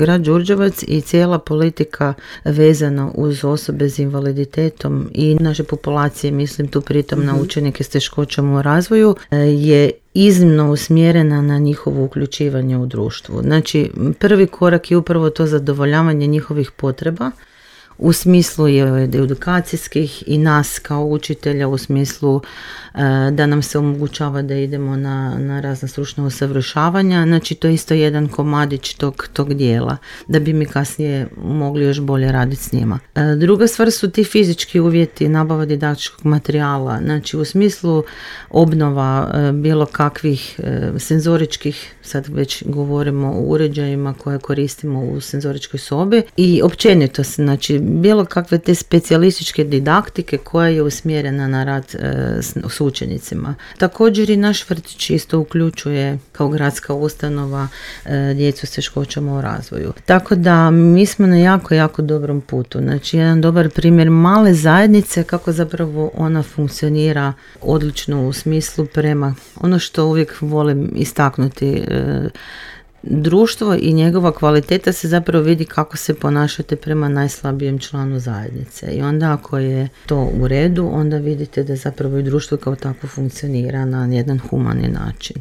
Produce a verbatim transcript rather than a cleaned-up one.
Grad Đurđevac i cijela politika vezana uz osobe s invaliditetom i naše populacije, mislim tu pritom mm-hmm. na učenike s teškoćama u razvoju, je iznimno usmjerena na njihovo uključivanje u društvu. Znači, prvi korak je upravo to zadovoljavanje njihovih potreba u smislu je edukacijskih i nas kao učitelja u smislu e, da nam se omogućava da idemo na, na razna stručna usavršavanja. Znači to je isto jedan komadić tog, tog dijela da bi mi kasnije mogli još bolje raditi s njima. E, druga stvar su ti fizički uvjeti, nabava didaktičkog materijala. Znači u smislu obnova e, bilo kakvih e, senzoričkih, sad već govorimo o uređajima koje koristimo u senzoričkoj sobi i općenito, znači bilo kakve te specijalističke didaktike koja je usmjerena na rad e, s, s učenicima. Također i naš vrtić isto uključuje kao gradska ustanova e, djecu s teškoćama u razvoju. Tako da mi smo na jako, jako dobrom putu. Znači jedan dobar primjer male zajednice kako zapravo ona funkcionira odlično u smislu prema ono što uvijek volim istaknuti e, društvo i njegova kvaliteta se zapravo vidi kako se ponašate prema najslabijem članu zajednice. I onda ako je to u redu, onda vidite da zapravo i društvo kao tako funkcionira na jedan humani način.